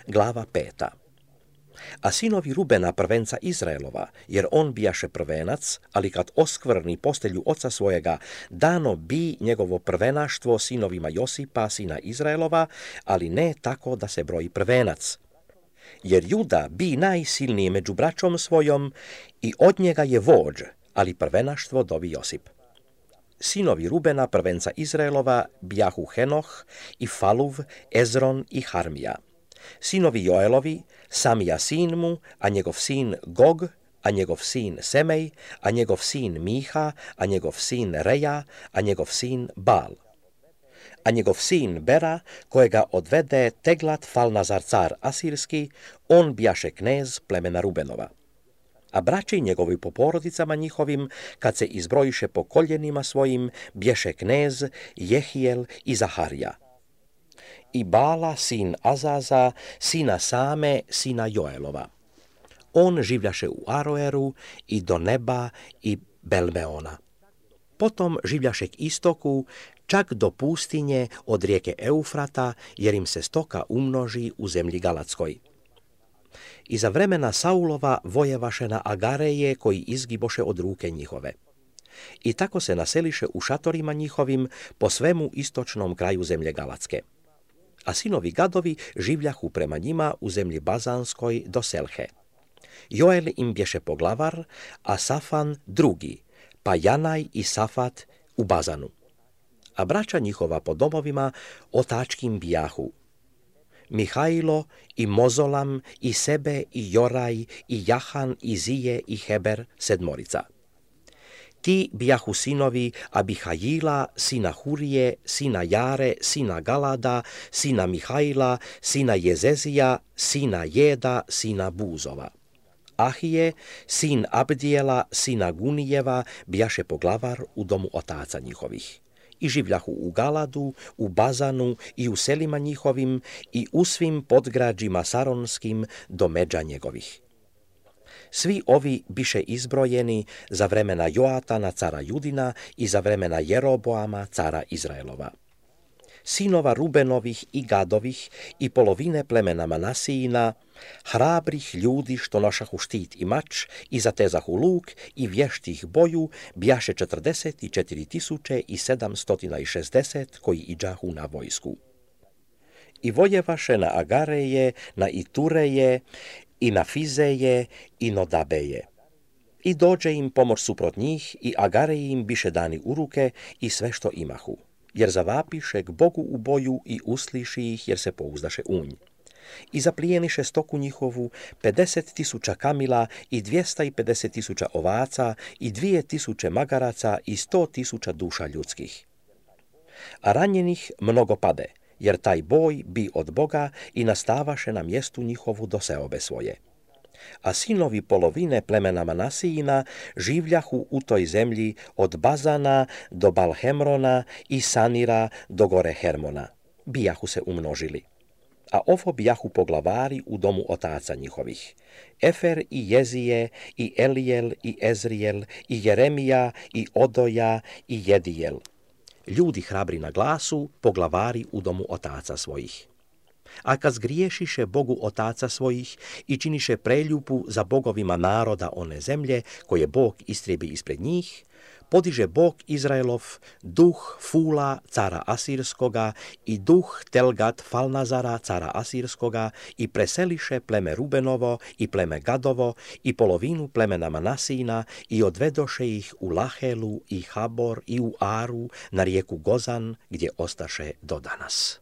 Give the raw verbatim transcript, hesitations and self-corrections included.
glava peta. A sinovi Rubena prvenca Izraelova, jer on bijaše prvenac, ali kad oskvrni postelju oca svojega, dano bi njegovo prvenaštvo sinovima Josipa, sina Izraelova, ali ne tako da se broji prvenac. Jer Juda bi najsilniji među braćom svojom i od njega je vođ, ali prvenaštvo dobi Josip. Sinovi Rubena prvenca Izraelova bijahu Henoh i Faluv, Ezron i Harmija. Sinovi Joelovi, Samija sin mu, a njegov sin Gog, a njegov sin Semej, a njegov sin Miha, a njegov sin Reja, a njegov sin Bal. A njegov sin Bera, kojega odvede Teglat Falnazar car asirski, on bijaše knez plemena Rubenova. A braći njegovi po porodicama njihovim, kad se izbrojiše po koljenima svojim, bješe knez Jehijel i Zaharija. I Bala, sin Azaza, sina Same, sina Joelova. On življaše u Aroeru i do Neba i Belmeona. Potom življaše k istoku, čak do pustinje od rijeke Eufrata, jer im se stoka umnoži u zemlji Galatskoj. I za vremena Saulova vojevaše na Agareje, koji izgiboše od ruke njihove. I tako se naseliše u šatorima njihovim po svemu istočnom kraju zemlje Galatske. A sinovi Gadovi življahu prema njima u zemlji Bazanskoj do Selhe. Joel im bješe poglavar, a Safan drugi, pa Janaj i Safat u Bazanu. A braća njihova po domovima otačkim bijahu Mihajlo i Mozolam i Sebe i Joraj i Jahan i Zije i Heber sedmorica. Ti bijahu sinovi Abihajila, sina Hurije, sina Jare, sina Galada, sina Mihajla, sina Jezezija, sina Jeda, sina Buzova. Ahije, sin Abdijela, sina Gunijeva, bijaše poglavar u domu otaca njihovih. I življahu u Galadu, u Bazanu i u selima njihovim i u svim podgrađima saronskim do međa njegovih. Svi ovi biše izbrojeni za vremena Joatana, cara Judina, i za vremena Jeroboama, cara Izraelova. Sinova Rubenovih i Gadovih i polovine plemena Manasijina, hrabrih ljudi što nošahu štit i mač i zatezahu luk i vještih boju, bjaše četrdeset četiri tisuće i sedamstotina šezdeset koji iđahu na vojsku. I vojevaše na Agareje, na Itureje, i na Fizeje i Nodabeje. I dođe im pomoć suprot njih i Agareji im biše dani u ruke i sve što imahu, jer zavapiše k Bogu u boju i usliši ih jer se pouzdaše u nj. I zaplijeniše stoku njihovu, pedeset tisuća kamila i dvjesta i pedeset tisuća ovaca i dvije tisuće magaraca i sto tisuća duša ljudskih. A ranjenih mnogo pade, jer taj boj bi od Boga i nastavaše na mjestu njihovu do seobe svoje. A sinovi polovine plemena Manasijina življahu u toj zemlji od Bazana do Balhemrona i Sanira do gore Hermona. Bijahu se umnožili. A ovo bijahu poglavari u domu otaca njihovih. Efer i Jezije i Elijel i Ezrijel i Jeremija i Odoja i Jedijel. Ljudi hrabri na glasu, poglavari u domu otaca svojih. A kad zgriješiše Bogu otaca svojih i činiše preljubu za bogovima naroda one zemlje, koje Bog istrebi ispred njih, podiže Bog Izraelov duh Fula, cara Asirskoga, i duh Telgat Falnazara, cara Asirskoga, i preseliše pleme Rubenovo i pleme Gadovo i polovinu plemena Manasijina i odvedoše ih u Lahelu i Habor i u Aru na rijeku Gozan, gdje ostaše do danas.